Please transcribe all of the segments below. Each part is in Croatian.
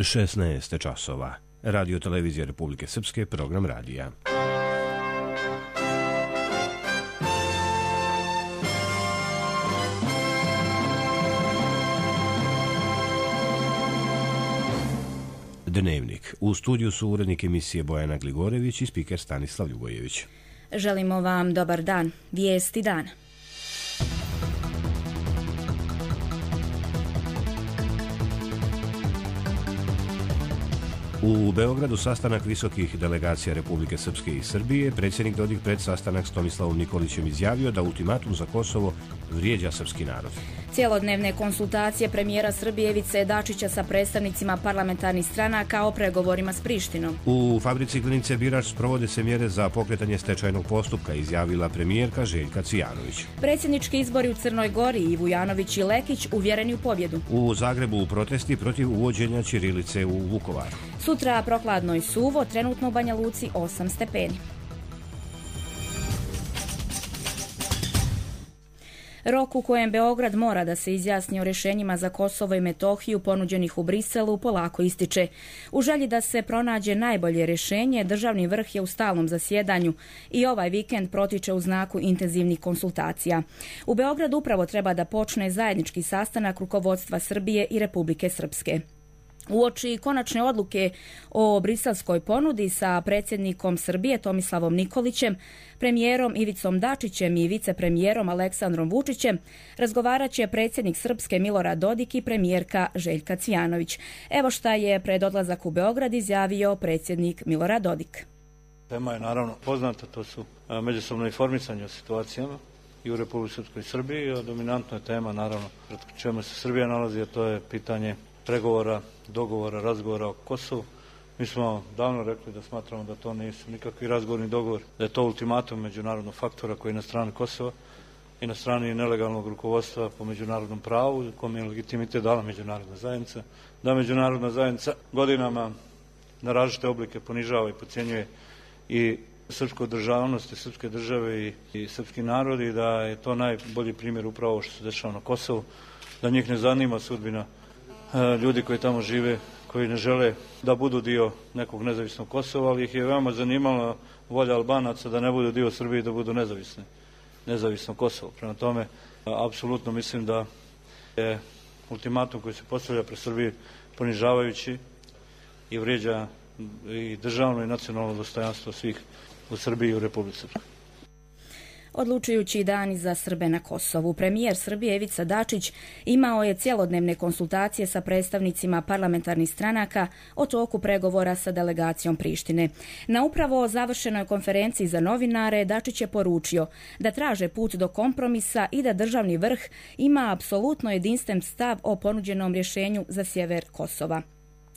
16 časova. Radio televizija Republike Srpske, program radija. Dnevnik. U studiju su urednik emisije Bojana Gligorević i spiker Stanislav Ljubojević. Želimo vam dobar dan. Vijesti dana. U Beogradu sastanak visokih delegacija Republike Srpske i Srbije. Predsjednik Dodik pred sastanak s Tomislavom Nikolićem izjavio da ultimatum za Kosovo vrijeđa srpski narod. Cijelodnevne konsultacije premijera Srbije Ivice Dačića sa predstavnicima parlamentarnih stranaka o pregovorima s Prištinom. U fabrici Glinice Birač sprovode se mjere za pokretanje stečajnog postupka, izjavila premijerka Željka Cvijanović. Predsjednički izbori u Crnoj Gori, i Vujanović i Lekić uvjereni u pobjedu. U Zagrebu protesti protiv uvođenja ćirilice u Vukovar. Sutra prokladno i suvo, trenutno u Banja Luci 8 stepeni. Rok u kojem Beograd mora da se izjasni o rješenjima za Kosovo i Metohiju ponuđenih u Briselu polako ističe. U želji da se pronađe najbolje rješenje, državni vrh je u stalnom zasjedanju i ovaj vikend protiče u znaku intenzivnih konsultacija. U Beogradu upravo treba da počne zajednički sastanak rukovodstva Srbije i Republike Srpske. Uoči konačne odluke o briselskoj ponudi sa predsjednikom Srbije Tomislavom Nikolićem, premijerom Ivicom Dačićem i vicepremijerom Aleksandrom Vučićem razgovarat će predsjednik Srpske Milorad Dodik i premijerka Željka Cvijanović. Evo šta je pred odlazak u Beograd izjavio predsjednik Milorad Dodik. Tema je naravno poznata, to su međusobno informisanje o situacijama i u Republici Srpskoj i Srbiji, a dominantna je tema naravno pred čemu se Srbija nalazi, a to je pitanje pregovora, dogovora, razgovora o Kosovu. Mi smo davno rekli da smatramo da to nisu nikakvi razgovorni dogovor, da je to ultimatum međunarodnog faktora koji je na strani Kosova i na strani nelegalnog rukovodstva po međunarodnom pravu, kome je legitimitet dala međunarodna zajednica, da međunarodna zajednica godinama na različite oblike ponižava i podcjenjuje i srpsku državnost i srpske države i srpski narod, i da je to najbolji primjer upravo što se dešava na Kosovu, da njih ne zanima sudbina ljudi koji tamo žive, koji ne žele da budu dio nekog nezavisnog Kosova, ali ih je veoma zanimala volja Albanaca da ne budu dio Srbije i da budu nezavisno Kosovo. Prema tome, apsolutno mislim da je ultimatum koji se postavlja pred Srbije ponižavajući i vrijeđa i državno i nacionalno dostojanstvo svih u Srbiji i u Republici Srpskoj. Odlučujući dani za Srbe na Kosovu, premijer Srbije Ivica Dačić imao je cijelodnevne konsultacije sa predstavnicima parlamentarnih stranaka o toku pregovora sa delegacijom Prištine. Na upravo završenoj konferenciji za novinare Dačić je poručio da traže put do kompromisa i da državni vrh ima apsolutno jedinstven stav o ponuđenom rješenju za sjever Kosova.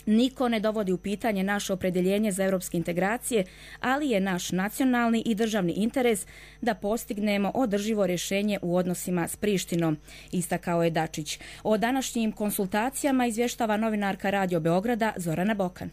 Niko ne dovodi u pitanje naše opredjeljenje za europske integracije, ali je naš nacionalni i državni interes da postignemo održivo rješenje u odnosima s Prištinom, istakao je Dačić. O današnjim konsultacijama izvještava novinarka Radio Beograda Zorana Bokan.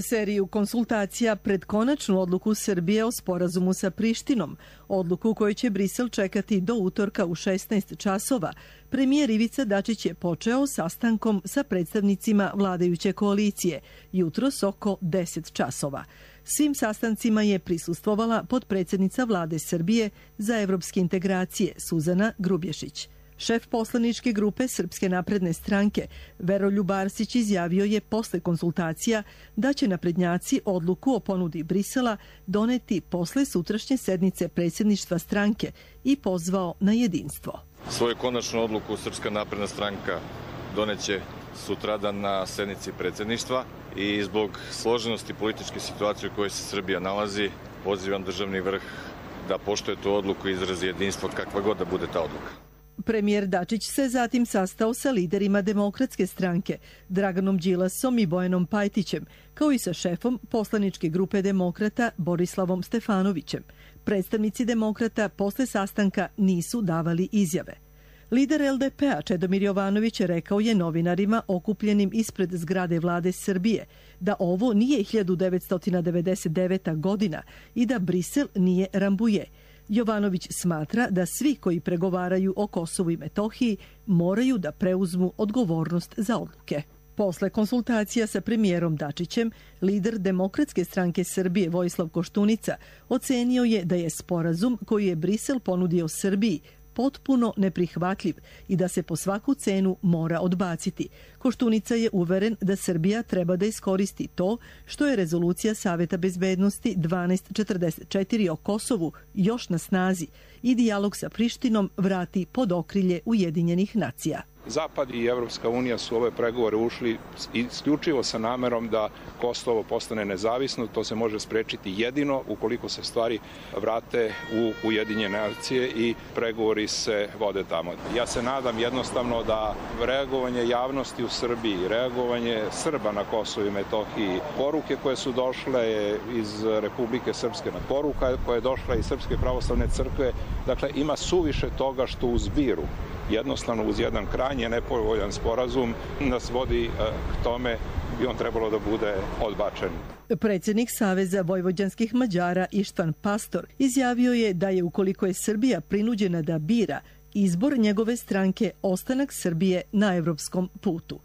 Seriju konsultacija pred konačnu odluku Srbije o sporazumu sa Prištinom, odluku koju će Brisel čekati do utorka u 16 časova, premijer Ivica Dačić je počeo sastankom sa predstavnicima vladajuće koalicije, jutros oko 10 časova. Svim sastancima je prisustvovala potpredsjednica vlade Srbije za evropske integracije Suzana Grubješić. Šef poslaničke grupe Srpske napredne stranke Veroljub Arsić izjavio je posle konsultacija da će naprednjaci odluku o ponudi Brisela doneti posle sutrašnje sednice predsjedništva stranke i pozvao na jedinstvo. Svoju konačnu odluku Srpska napredna stranka doneće sutradan na sednici predsjedništva i zbog složenosti političke situacije u kojoj se Srbija nalazi, pozivam državni vrh da poštuje tu odluku i izrazi jedinstvo kakva god da bude ta odluka. Premijer Dačić se zatim sastao sa liderima Demokratske stranke, Draganom Đilasom i Bojanom Pajtićem, kao i sa šefom poslaničke grupe Demokrata Borislavom Stefanovićem. Predstavnici Demokrata posle sastanka nisu davali izjave. Lider LDP-a Čedomir Jovanović rekao je novinarima okupljenim ispred zgrade vlade Srbije da ovo nije 1999. godina i da Brisel nije Rambuje. Jovanović smatra da svi koji pregovaraju o Kosovu i Metohiji moraju da preuzmu odgovornost za odluke. Posle konsultacija sa premijerom Dačićem, lider Demokratske stranke Srbije Vojislav Koštunica ocenio je da je sporazum koji je Brisel ponudio Srbiji potpuno neprihvatljiv i da se po svaku cenu mora odbaciti. Koštunica je uveren da Srbija treba da iskoristi to što je rezolucija Saveta bezbednosti 1244 o Kosovu još na snazi i dijalog sa Prištinom vrati pod okrilje Ujedinjenih nacija. Zapad i Evropska unija su ove pregovore ušli isključivo sa namerom da Kosovo postane nezavisno. To se može sprečiti jedino ukoliko se stvari vrate u Ujedinjene nacije i pregovori se vode tamo. Ja se nadam jednostavno da reagovanje javnosti u Srbiji, reagovanje Srba na Kosovu i Metohiji, poruke koje su došle iz Republike Srpske, poruka koja je došla iz Srpske pravoslavne crkve, dakle ima suviše toga što u zbiru jednostavno uz jedan krajnje nepovoljan sporazum nas vodi k tome bi on trebalo da bude odbačen. Predsjednik Saveza vojvođanskih Mađara Ištvan Pastor izjavio je da je ukoliko je Srbija prinuđena da bira, izbor njegove stranke ostanak Srbije na evropskom putu.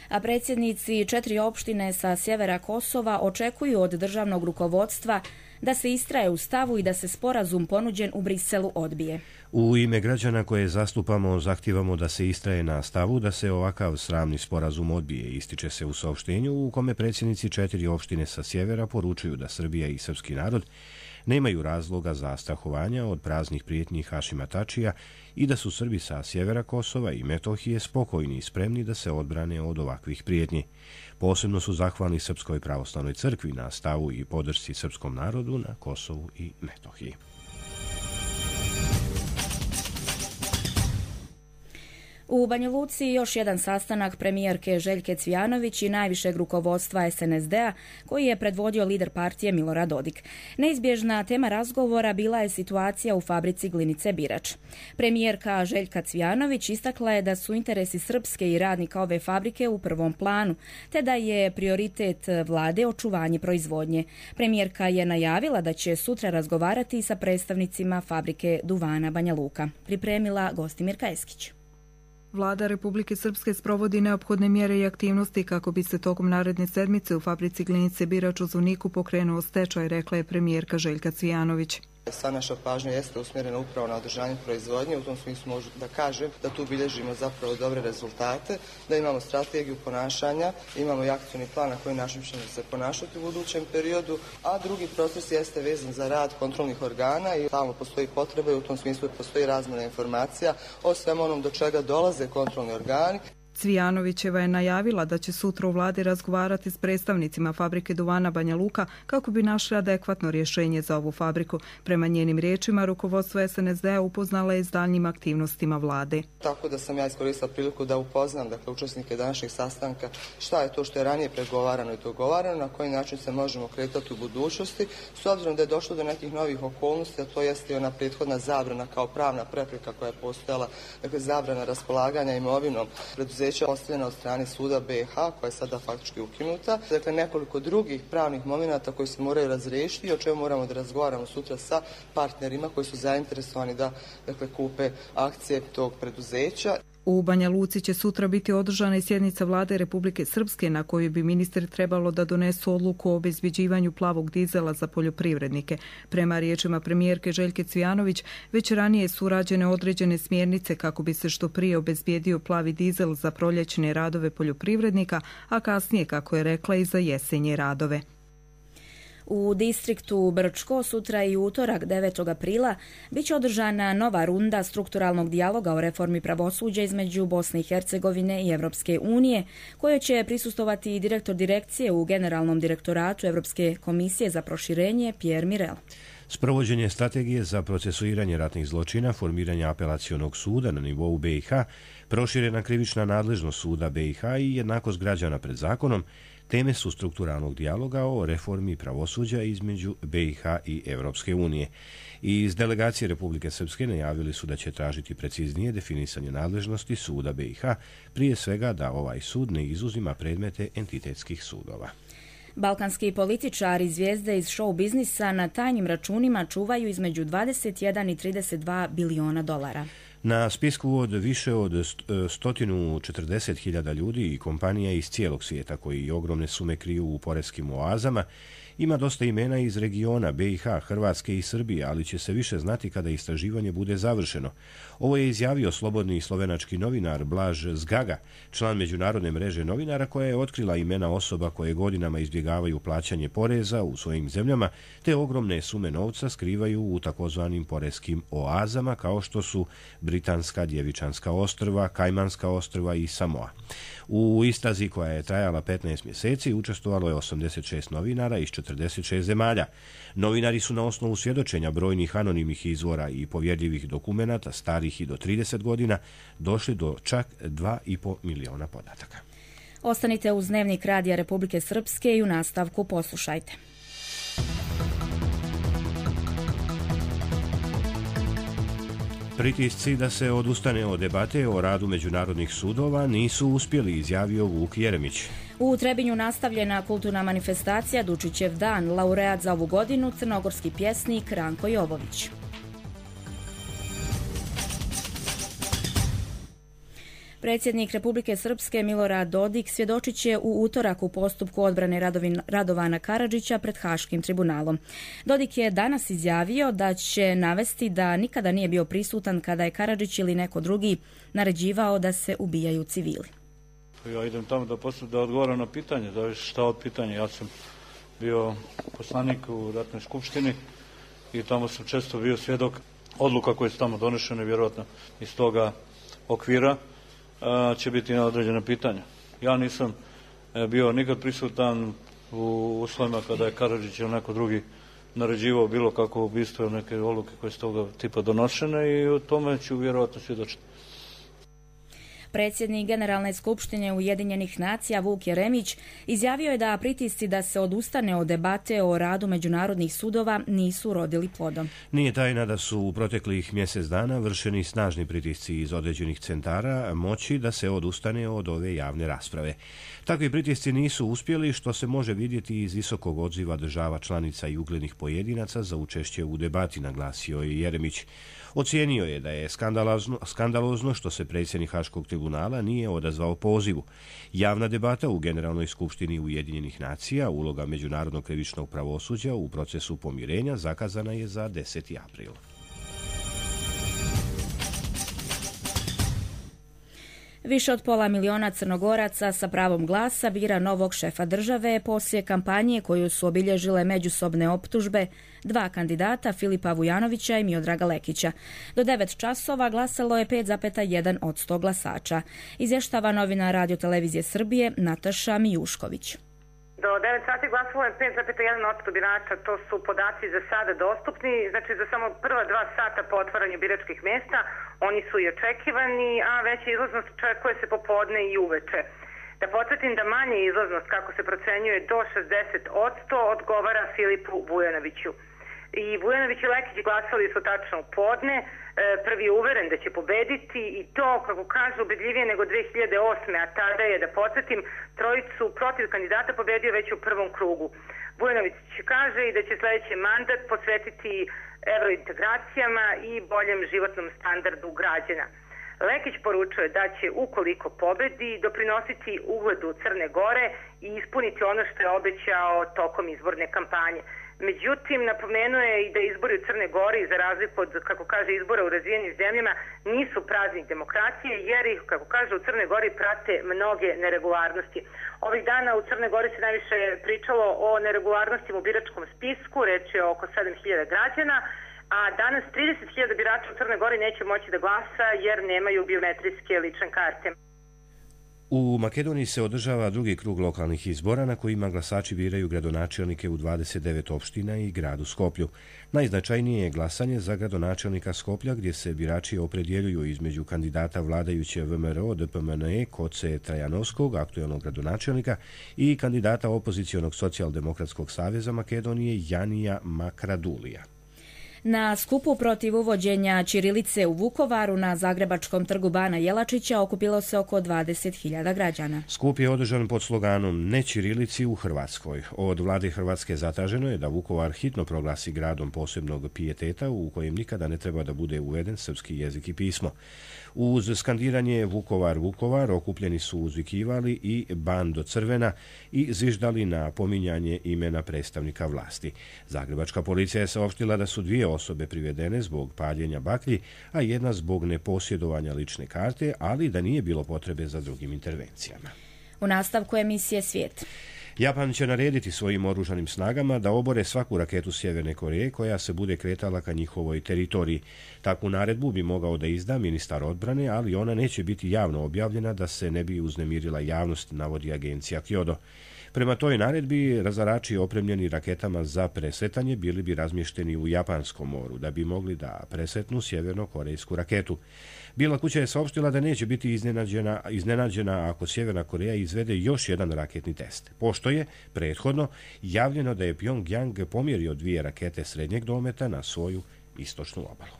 A predsjednici 4 opštine sa sjevera Kosova očekuju od državnog rukovodstva da se istraje u stavu i da se sporazum ponuđen u Briselu odbije. U ime građana koje zastupamo zahtijevamo da se istraje na stavu da se ovakav sramni sporazum odbije, ističe se u saopštenju u kome predsjednici 4 opštine sa sjevera poručuju da Srbija i srpski narod nemaju razloga za strahovanja od praznih prijetnji Hašima Tačija i da su Srbi sa sjevera Kosova i Metohije spokojni i spremni da se odbrane od ovakvih prijetnji. Posebno su zahvalni Srpskoj pravoslavnoj crkvi na stavu i podršci srpskom narodu na Kosovu i Metohiji. U Banja Luci još jedan sastanak premijerke Željke Cvijanović i najvišeg rukovodstva SNSD-a koji je predvodio lider partije Milorad Dodik. Neizbježna tema razgovora bila je situacija u fabrici glinice Birač. Premijerka Željka Cvijanović istakla je da su interesi srpske i radnika ove fabrike u prvom planu, te da je prioritet vlade očuvanje proizvodnje. Premijerka je najavila da će sutra razgovarati sa predstavnicima fabrike duvana Banja Luka. Pripremila Gostimirka Eskić. Vlada Republike Srpske sprovodi neophodne mjere i aktivnosti kako bi se tokom naredne sedmice u fabrici glinice Birač u Zvorniku pokrenuo stečaj, rekla je premijerka Željka Cvijanović. Sva naša pažnja jeste usmjerena upravo na održanje proizvodnje, u tom smislu možu da kažem da tu bilježimo zapravo dobre rezultate, da imamo strategiju ponašanja, imamo i akcijni plan na koji način ćemo se ponašati u budućem periodu, a drugi proces jeste vezan za rad kontrolnih organa i tamo postoji potreba i u tom smislu postoji razmjena informacija o svemu onom do čega dolaze kontrolni organi. Cvijanovićeva je najavila da će sutra u vladi razgovarati s predstavnicima fabrike duvana Banja Luka kako bi našli adekvatno rješenje za ovu fabriku. Prema njenim riječima, rukovodstvo SNSD-a upoznala je s daljnjim aktivnostima vlade. Tako da sam ja iskoristila priliku da upoznam učesnike današnjeg sastanka šta je to što je ranije pregovarano i dogovarano, na koji način se možemo kretati u budućnosti, s obzirom da je došlo do nekih novih okolnosti, a to jeste i ona prethodna zabrana kao pravna prepreka koja je postojala, dakle zabrana raspolaganja imovinom preduzeća ostavljena od strane suda BiH, koja je sada faktički ukinuta. Dakle, nekoliko drugih pravnih momenata koji se moraju razriješiti i o čemu moramo da razgovaramo sutra sa partnerima koji su zainteresovani da kupe akcije tog preduzeća. U Banja Luci će sutra biti održana i sjednica vlade Republike Srpske na kojoj bi ministri trebalo da donesu odluku o obezbjeđivanju plavog dizela za poljoprivrednike. Prema riječima premijerke Željke Cvijanović, već ranije su urađene određene smjernice kako bi se što prije obezbijedio plavi dizel za proljećne radove poljoprivrednika, a kasnije, kako je rekla, i za jesenje radove. U distriktu Brčko sutra i utorak 9. aprila bit će održana nova runda strukturalnog dijaloga o reformi pravosuđa između Bosne i Hercegovine i Evropske unije, kojoj će prisustovati i direktor direkcije u Generalnom direktoratu Evropske komisije za proširenje Pierre Mirel. Sprovođenje strategije za procesuiranje ratnih zločina, formiranje apelacionog suda na nivou BiH, proširena krivična nadležnost suda BiH i jednakost građana pred zakonom teme su strukturalnog dijaloga o reformi pravosuđa između BiH i Evropske unije. I iz delegacije Republike Srpske najavili su da će tražiti preciznije definisanje nadležnosti suda BiH, prije svega da ovaj sud ne izuzima predmete entitetskih sudova. Balkanski političari i zvijezde iz show biznisa na tajnim računima čuvaju između 21 i 32 biliona dolara. Na spisku od više od 140.000 ljudi i kompanija iz cijelog svijeta koji ogromne sume kriju u poreskim oazama ima dosta imena iz regiona BiH, Hrvatske i Srbije, ali će se više znati kada istraživanje bude završeno. Ovo je izjavio slobodni slovenački novinar Blaž Zgaga, član međunarodne mreže novinara koja je otkrila imena osoba koje godinama izbjegavaju plaćanje poreza u svojim zemljama, te ogromne sume novca skrivaju u takozvanim poreskim oazama kao što su Britanska, Djevičanska ostrva, Kajmanska ostrva i Samoa. U istrazi koja je trajala 15 mjeseci učestvovalo je 86 novinara iz 46 zemalja. Novinari su na osnovu svjedočenja brojnih anonimnih izvora i povjerljivih dokumenata starih i do 30 godina došli do čak 2,5 miliona podataka. Ostanite uz Dnevnik Radija Republike Srpske i u nastavku poslušajte. Pritisci da se odustane od debate o radu međunarodnih sudova nisu uspjeli, izjavio Vuk Jeremić. U Trebinju nastavljena kulturna manifestacija Dučićev dan, laureat za ovu godinu, crnogorski pjesnik Ranko Jovović. Predsjednik Republike Srpske Milorad Dodik svjedočit će u utorak u postupku odbrane Radovana Karadžića pred Haškim tribunalom. Dodik je danas izjavio da će navesti da nikada nije bio prisutan kada je Karadžić ili neko drugi naređivao da se ubijaju civili. Ja idem tamo da odgovaram na pitanje, da šta od pitanja. Ja sam bio poslanik u ratnoj skupštini i tamo sam često bio svjedok odluka koje su tamo donešene, vjerojatno iz toga okvira će biti na određena pitanja. Ja nisam bio nikad prisutan u uslovima kada je Karadžić ili neko drugi naređivao bilo kako ubistvo ili neke odluke koje su toga tipa donošene i o tome ću vjerojatno svjedočiti. Predsjednik Generalne skupštine Ujedinjenih nacija Vuk Jeremić izjavio je da pritisci da se odustane od debate o radu međunarodnih sudova nisu rodili plodom. Nije tajna da su u proteklih mjesec dana vršeni snažni pritisci iz određenih centara moći da se odustane od ove javne rasprave. Takvi pritisci nisu uspjeli, što se može vidjeti iz visokog odziva država članica i uglednih pojedinaca za učešće u debati, naglasio je Jeremić. Ocijenio je da je skandalozno što se predsjednik Haškog tribunala nije odazvao pozivu. Javna debata u Generalnoj skupštini Ujedinjenih nacija, uloga međunarodnog krivičnog pravosuđa u procesu pomirenja zakazana je za 10. april. Više od 500.000 Crnogoraca sa pravom glasa bira novog šefa države poslije kampanje koju su obilježile međusobne optužbe dva kandidata, Filipa Vujanovića i Miodraga Lekića. Do 9 časova glasalo je 5,1% glasača. Izvještava novinar Radio-televizije Srbije Nataša Mijušković. Do 9 sati glasalo je 5,1% birača, to su podaci za sada dostupni, znači za samo prva 2 sata po otvaranju biračkih mjesta, oni su i očekivani, a veća izlaznost očekuje se popodne i uveče. Da podsjetim da manja izlaznost, kako se procenjuje, do 60% odgovara Filipu Vujanoviću. I Vujanović i Lekić glasali su tačno u podne, prvi je uveren da će pobediti i to, kako kažu, ubedljivije nego 2008. A tada je, da podsjetim, trojicu protiv kandidata pobedio već u prvom krugu. Vujanović kaže i da će sljedeći mandat posvetiti evrointegracijama i boljem životnom standardu građana. Lekić poručuje da će, ukoliko pobedi, doprinositi ugledu Crne Gore i ispuniti ono što je obećao tokom izborne kampanje. Međutim, napomenuo je i da izbori u Crne Gori, za razliku od, kako kaže, izbora u razvijenim zemljama, nisu praznik demokracije, jer ih, kako kaže, u Crne Gori prate mnoge neregularnosti. Ovih dana u Crne Gori se najviše pričalo o neregularnostima u biračkom spisku, reč je oko 7.000 građana, a danas 30.000 birača u Crne Gori neće moći da glasa jer nemaju biometrijske lične karte. U Makedoniji se održava drugi krug lokalnih izbora na kojima glasači biraju gradonačelnike u 29 opština i gradu Skoplju. Najznačajnije je glasanje za gradonačelnika Skoplja gdje se birači opredjeljuju između kandidata vladajuće VMRO DPMNE Koce Trajanovskog, aktuelnog gradonačelnika, i kandidata opozicionog Socijaldemokratskog saveza Makedonije Janija Makradulija. Na skupu protiv uvođenja ćirilice u Vukovaru na Zagrebačkom trgu Bana Jelačića okupilo se oko 20.000 građana. Skup je održan pod sloganom Ne ćirilici u Hrvatskoj. Od vlade Hrvatske zatraženo je da Vukovar hitno proglasi gradom posebnog pijeteta u kojem nikada ne treba da bude uveden srpski jezik i pismo. Uz skandiranje Vukovar, Vukovar okupljeni su uzvikivali i Bando crvena i zviždali na pominjanje imena predstavnika vlasti. Zagrebačka policija je saopštila da su 2 osobe privedene zbog paljenja baklji, a jedna zbog neposjedovanja lične karte, ali da nije bilo potrebe za drugim intervencijama. U nastavku emisije Svijet. Japan će narediti svojim oružanim snagama da obore svaku raketu Sjeverne Koreje koja se bude kretala ka njihovoj teritoriji. Takvu naredbu bi mogao da izda ministar odbrane, ali ona neće biti javno objavljena da se ne bi uznemirila javnost, navodi agencija Kyodo. Prema toj naredbi, razarači opremljeni raketama za presretanje bili bi razmješteni u Japanskom moru da bi mogli da presretnu sjeverno-korejsku raketu. Bijela kuća je saopštila da neće biti iznenađena ako Sjeverna Koreja izvede još jedan raketni test, pošto je prethodno javljeno da je Pyongyang pomjerio 2 rakete srednjeg dometa na svoju istočnu obalu.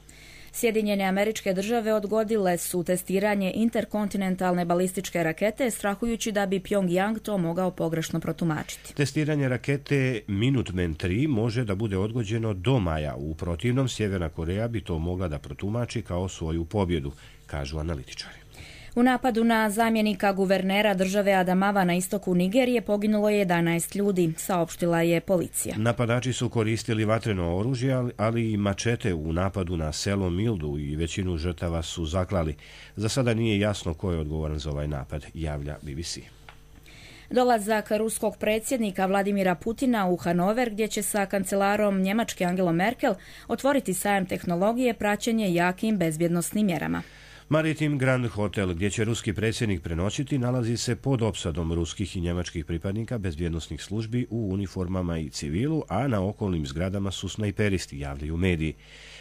Sjedinjene Američke Države odgodile su testiranje interkontinentalne balističke rakete, strahujući da bi Pyongyang to mogao pogrešno protumačiti. Testiranje rakete Minuteman 3 može da bude odgođeno do maja. U protivnom, Sjeverna Koreja bi to mogla da protumači kao svoju pobjedu, kažu analitičari. U napadu na zamjenika guvernera države Adamawa na istoku Nigerije poginulo je 11 ljudi, saopštila je policija. Napadači su koristili vatreno oružje, ali i mačete u napadu na selo Mildu i većinu žrtava su zaklali. Za sada nije jasno ko je odgovoran za ovaj napad, javlja BBC. Dolazak ruskog predsjednika Vladimira Putina u Hanover, gdje će sa kancelarom Njemačke Angelom Merkel otvoriti sajam tehnologije, praćen je jakim bezbjednosnim mjerama. Maritim Grand Hotel, gdje će ruski predsjednik prenoćiti, nalazi se pod opsadom ruskih i njemačkih pripadnika bezbjednosnih službi u uniformama i civilu, a na okolnim zgradama su snajperisti, javljaju mediji.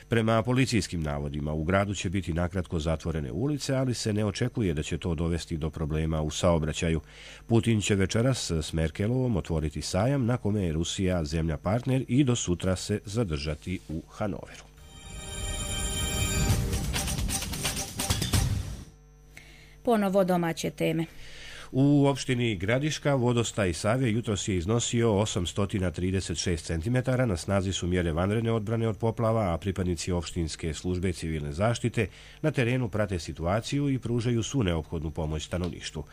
Prema policijskim navodima, u gradu će biti nakratko zatvorene ulice, ali se ne očekuje da će to dovesti do problema u saobraćaju. Putin će večeras s Merkelovom otvoriti sajam na kome je Rusija zemlja partner i do sutra se zadržati u Hanoveru. Ponovo domaće teme. U opštini Gradiška vodostaj Save jutros je iznosio 836 cm, na snazi su mjere vanredne odbrane od poplava, a pripadnici opštinske službe civilne zaštite na terenu prate situaciju i pružaju svu neophodnu pomoć stanovništvu.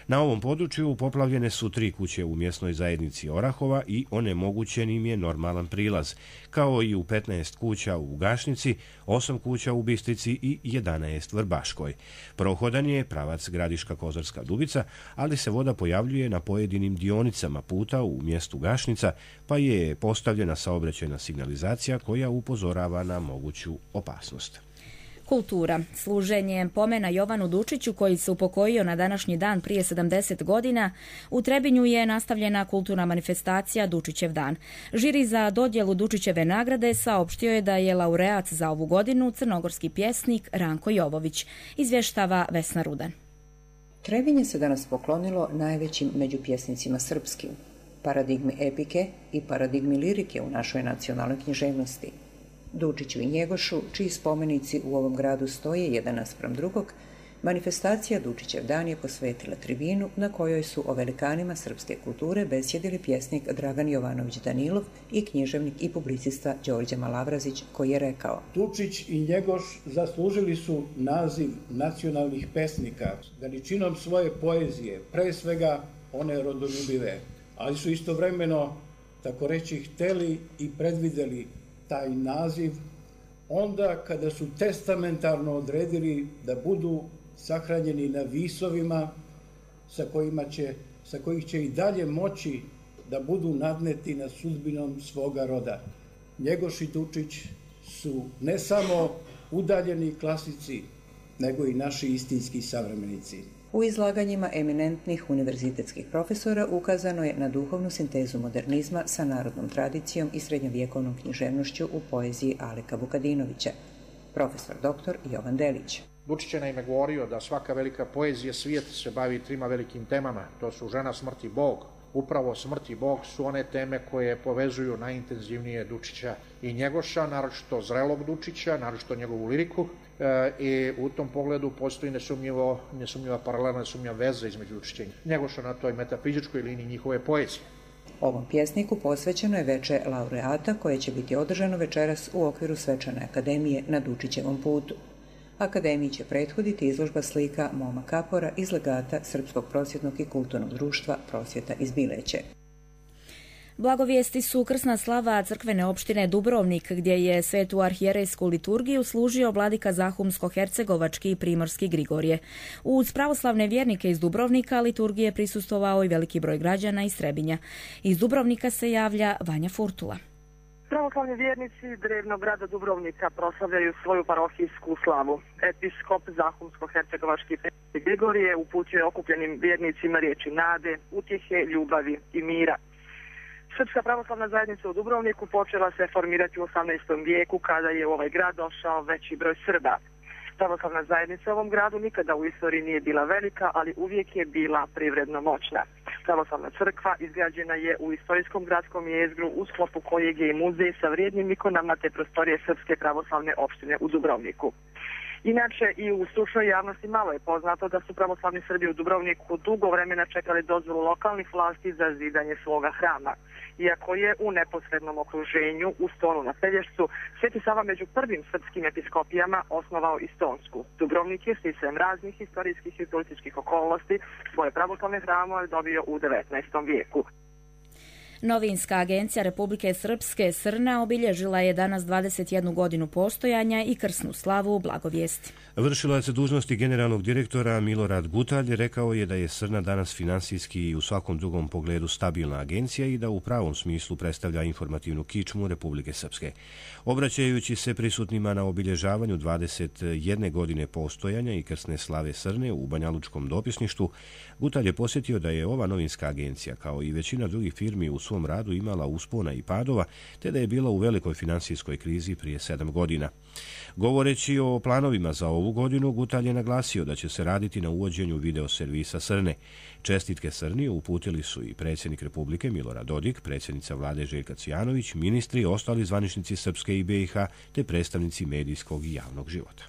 Na ovom području poplavljene su 3 kuće u mjesnoj zajednici Orahova i onemogućen im je normalan prilaz, kao i u 15 kuća u Gašnici, 8 kuća u Bistrici i 11 Vrbaškoj. Prohodan je pravac Gradiška-Kozarska Dubica, ali se voda pojavljuje na pojedinim dionicama puta u mjestu Gašnica, pa je postavljena saobraćajna signalizacija koja upozorava na moguću opasnost. Kultura. Služenje pomena Jovanu Dučiću, koji se upokojio na današnji dan prije 70 godina, u Trebinju je nastavljena kulturna manifestacija Dučićev dan. Žiri za dodjelu Dučićeve nagrade saopštio je da je laureat za ovu godinu crnogorski pjesnik Ranko Jovović, izvještava Vesna Rudan. Trebinje se danas poklonilo najvećim među pjesnicima srpskim, paradigmi epike i paradigmi lirike u našoj nacionalnoj književnosti. Dučiću i Njegošu, čiji spomenici u ovom gradu stoje jedan naspram drugog, manifestacija Dučićev dan je posvetila tribinu na kojoj su o velikanima srpske kulture besjedili pjesnik Dragan Jovanović Danilov i književnik i publicista Đorđe Malavrazić, koji je rekao: Dučić i Njegoš zaslužili su naziv nacionalnih pesnika veličinom svoje poezije, pre svega one rodoljubive, ali su istovremeno, tako reći, hteli i predvideli taj naziv onda kada su testamentarno odredili da budu sahranjeni na visovima sa kojih će i dalje moći da budu nadneti nad sudbinom svoga roda. Njegoš i Dučić su ne samo udaljeni klasici, nego i naši istinski savremenici. U izlaganjima eminentnih univerzitetskih profesora ukazano je na duhovnu sintezu modernizma sa narodnom tradicijom i srednjovjekovnom književnošću u poeziji Aleka Vukadinovića. Profesor dr. Jovan Delić. Dučić je naime govorio da svaka velika poezija svijeta se bavi 3 velikim temama. To su žena, smrt i Bog. upravo smrt i bog su one teme koje povezuju najintenzivnije Dučića i Njegoša, naročito zrelog Dučića, naročito njegovu liriku, i u tom pogledu postoji nesumnjiva paralela, nesumnjiva veza između Dučića i Njegoša na toj metafizičkoj liniji njihove poezije. Ovom pjesniku posvećeno je veče laureata koje će biti održano večeras u okviru Svečane akademije na Dučićevom putu. Akademiji će prethoditi izložba slika Moma Kapora iz legata Srpskog prosvjetnog i kulturnog društva Prosvjeta iz Bileće. Blagovijesti su krsna slava crkvene opštine Dubrovnik, gdje je svetu arhijerejsku liturgiju služio vladika Zahumsko-hercegovački i primorski Grigorije. Uz pravoslavne vjernike iz Dubrovnika liturgije prisustvovao i veliki broj građana iz Trebinja. Iz Dubrovnika se javlja Vanja Furtula. Pravoslavni vjernici drevnog grada Dubrovnika proslavljaju svoju parohijsku slavu. Episkop Zahumsko-hercegovački Grigorije uputio okupljenim vjernicima riječi nade, utjehe, ljubavi i mira. Srpska pravoslavna zajednica u Dubrovniku počela se formirati u 18. vijeku kada je u ovaj grad došao veći broj Srba. Pravoslavna zajednica u ovom gradu nikada u istoriji nije bila velika, ali uvijek je bila privredno moćna. Pravoslavna crkva izgrađena je u istorijskom gradskom jezgru u sklopu kojeg je i muzej sa vrijednim ikonama te prostorije Srpske pravoslavne opštine u Dubrovniku. Inače, i u stručnoj javnosti malo je poznato da su pravoslavni Srbi u Dubrovniku dugo vremena čekali dozvolu lokalnih vlasti za zidanje svoga hrama. Iako je u neposrednom okruženju u Stonu na Pelješcu Sveti Sava među prvim srpskim episkopijama osnovao i Stonsku. Dubrovnik je sticajem raznih historijskih i političkih okolnosti svoje pravoslavne hramove dobio u 19. vijeku. Novinska agencija Republike Srpske Srna obilježila je danas 21 godinu postojanja i krsnu slavu Blagovijesti. Vršilac dužnosti generalnog direktora Milorad Gutalj rekao je da je Srna danas finansijski i u svakom drugom pogledu stabilna agencija i da u pravom smislu predstavlja informativnu kičmu Republike Srpske. Obraćajući se prisutnima na obilježavanju 21 godine postojanja i krsne slave Srne u Banjalučkom dopisništvu, Gutalj je posjetio da je ova novinska agencija, kao i većina drugih firmi u svom radu, imala uspona i padova, te da je bila u velikoj finansijskoj krizi prije 7 godina. Govoreći o planovima za ovu godinu, Gutalj je naglasio da će se raditi na uvođenju video servisa Srne. Čestitke Srni uputili su i predsjednik Republike Milorad Dodik, predsjednica vlade Željka Cvijanović, ministri i ostali zvaničnici Srpske i BiH, te predstavnici medijskog i javnog života.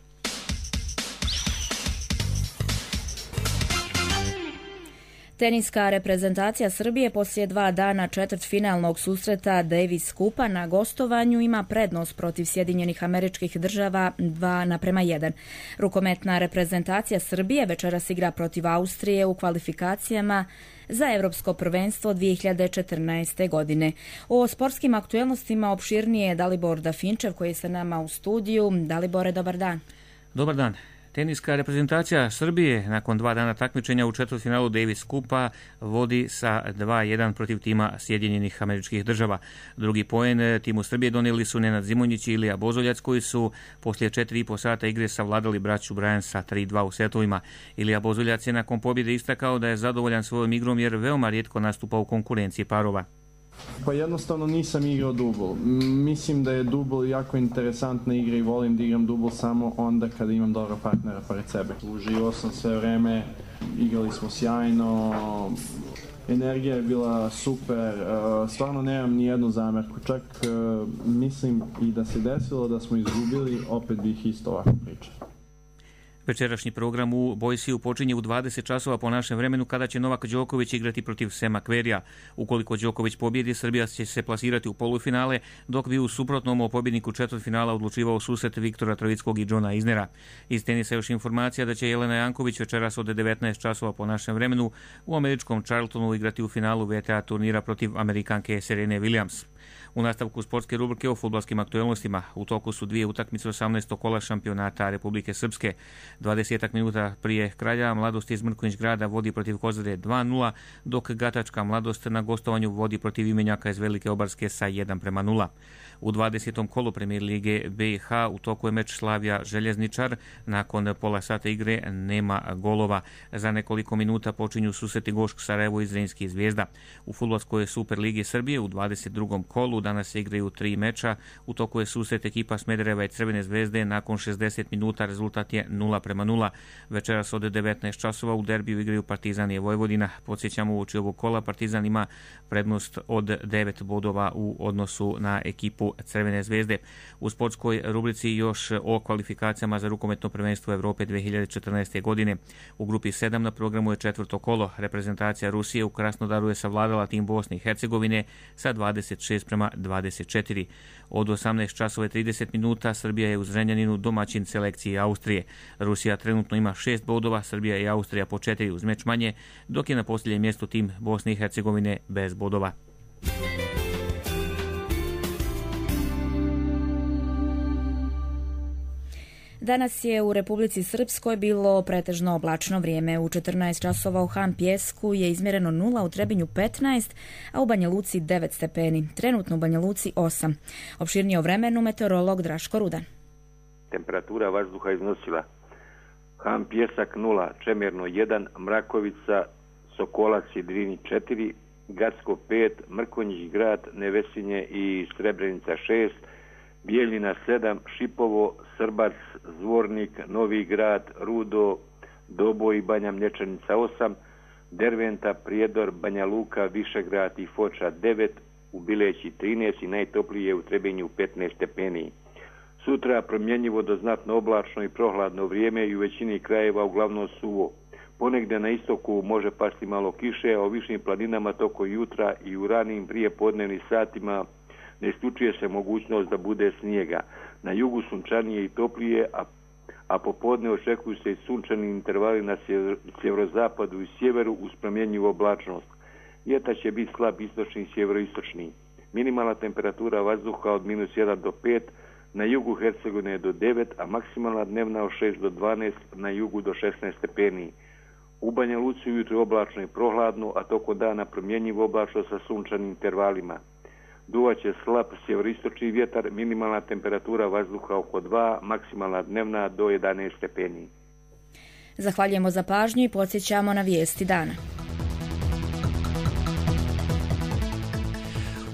Teniska reprezentacija Srbije poslije 2 dana četvrtfinalnog susreta Davis Kupa na gostovanju ima prednost protiv Sjedinjenih Američkih Država 2:1. Rukometna reprezentacija Srbije večeras igra protiv Austrije u kvalifikacijama za Evropsko prvenstvo 2014. godine. O sportskim aktuelnostima opširnije je Dalibor Dafinčev koji je sa nama u studiju. Dalibore, dobar dan. Dobar dan. Teniska reprezentacija Srbije nakon 2 dana takmičenja u četvrtfinalu Davis Kupa vodi sa 2:1 protiv tima Sjedinjenih Američkih Država. Drugi poen timu Srbije donijeli su Nenad Zimonjić i Ilija Bozoljac, koji su poslije 4,5 sata igre savladali braću Bryan sa 3:2 u setovima. Ilija Bozoljac je nakon pobjede istakao da je zadovoljan svojom igrom jer veoma rijetko nastupa u konkurenciji parova. Pa jednostavno nisam igrao dubl. Mislim da je dubl jako interesantna igra i volim da igram dubl samo onda kada imam dobrog partnera pored sebe. Uživao sam sve vreme, igrali smo sjajno, energija je bila super, stvarno nemam ni jednu zamerku. Čak mislim i da se desilo da smo izgubili, opet bih isto ovako pričao. Večerašnji program u Boysiju počinje u 20 časova po našem vremenu, kada će Novak Đoković igrati protiv Sema Querreyja. Ukoliko Đoković pobjedi, Srbija će se plasirati u polufinale, dok bi u suprotnom o pobjedniku četvrtfinala odlučivao susret Viktora Trovickog i Johna Isnera. Iz tenisa još informacija da će Jelena Janković večeras od 19 časova po našem vremenu u američkom Charltonu igrati u finalu WTA turnira protiv Amerikanke Serene Williams. U nastavku sportske rubrike o fudbalskim aktuelnostima u toku su 2 utakmice 18. kola šampionata Republike Srpske. 20 minuta prije kraja Mladost iz Mrkonjić Grada vodi protiv Kozare 2:0, dok Gatačka Mladost na gostovanju vodi protiv Imenjaka iz Velike Obarske sa 1:0. U 20. kolu Premijer lige BiH u toku je meč Slavija Željezničar. Nakon pola sata igre nema golova. Za nekoliko minuta počinju susreti Gošk Sarajevo i Zrinski Zvijezda. U fudbalskoj Super ligi Srbije u 22. kolu danas se igraju 3 meča. U toku je susret ekipa Smedereva i Crvene Zvezde. Nakon 60 minuta rezultat je 0:0. Večeras od 19 časova u derbiju igraju Partizan i Vojvodina. Podsjećamo, uoči ovog kola Partizan ima prednost od 9 bodova u odnosu na ekipu Crvene Zvezde. U sportskoj rubrici još o kvalifikacijama za rukometno prvenstvo Evrope 2014. godine. U grupi 7 na programu je 4. kolo. Reprezentacija Rusije u Krasnodaru je savladala tim Bosne i Hercegovine sa 26:24. Od 18 časova i 30 minuta Srbija je u Zrenjaninu domaćin selekcije Austrije. Rusija trenutno ima 6 bodova, Srbija i Austrija po 4 uz meč manje, dok je na posljednjem mjestu tim Bosne i Hercegovine bez bodova. Danas je u Republici Srpskoj bilo pretežno oblačno vrijeme. U 14 časova u Han Pjesku je izmjereno 0, u Trebinju 15, a u Banja Luci 9 stepeni. Trenutno u Banja Luci 8. Opširnije o vremenu meteorolog Draško Rudan. Temperatura vazduha iznosila Han Pjesak 0, Čemerno 1, Mrakovica, Sokolac i Drini 4, Gacko 5, Mrkonjić Grad, Nevesinje i Srebrenica 6, Bijeljina 7, Šipovo, Srbac, Zvornik, Novi Grad, Rudo, Doboj i Banja Mlječanica 8, Derventa, Prijedor, Banja Luka, Višegrad i Foča 9, u Bileći 13 i najtoplije u Trebinju 15 stepeni. Sutra promjenjivo do znatno oblačno i prohladno vrijeme i u većini krajeva uglavnom suvo. Ponegdje na istoku može pasti malo kiše, a u višim planinama toko jutra i u ranim prijepodnevnim satima ne isključuje se mogućnost da bude snijega. Na jugu sunčanije i toplije, a popodne očekuju se i sunčani intervali na sjeverozapadu i sjeveru uz promjenjivu oblačnost. Vjetar će biti slab istočni i sjeveroistočni. Minimalna temperatura vazduha od -1 do 5, na jugu Hercegovine do 9, a maksimalna dnevna od 6 do 12, na jugu do 16 stepeni. U Banja Luci ujutro oblačno i prohladno, a tokom dana promjenjivo oblačno sa sunčanim intervalima. Duvaće slab sjeveroistočni vjetar, minimalna temperatura vazduha oko 2, maksimalna dnevna do 11 stepeni. Zahvaljujemo za pažnju i podsjećamo na vijesti dana.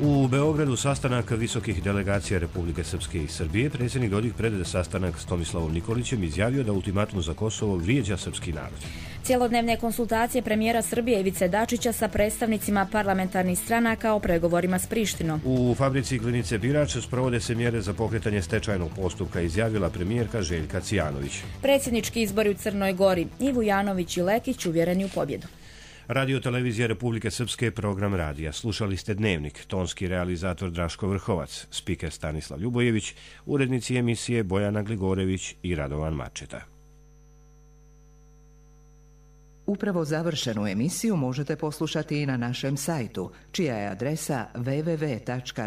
U Beogradu sastanak visokih delegacija Republike Srpske i Srbije. Predsjednik Dodik pred sastanak s Tomislavom Nikolićem izjavio da ultimatum za Kosovo vrijeđa srpski narod. Cjelodnevne konsultacije premijera Srbije Ivice Dačića sa predstavnicima parlamentarnih stranaka o pregovorima s Prištinom. U fabrici Glinice Birač sprovode se mjere za pokretanje stečajnog postupka, izjavila premijerka Željka Cijanović. Predsjednički izbori u Crnoj Gori. Ivo Janović i Lekić uvjereni u pobjedu. Radio Televizija Republike Srpske, program radija. Slušali ste Dnevnik, tonski realizator Draško Vrhovac, spiker Stanislav Ljubojević, urednici emisije Bojana Gligorević i Radovan Mačeta. Upravo završenu emisiju možete poslušati i na našem sajtu, čija je adresa www.rtrs.tv.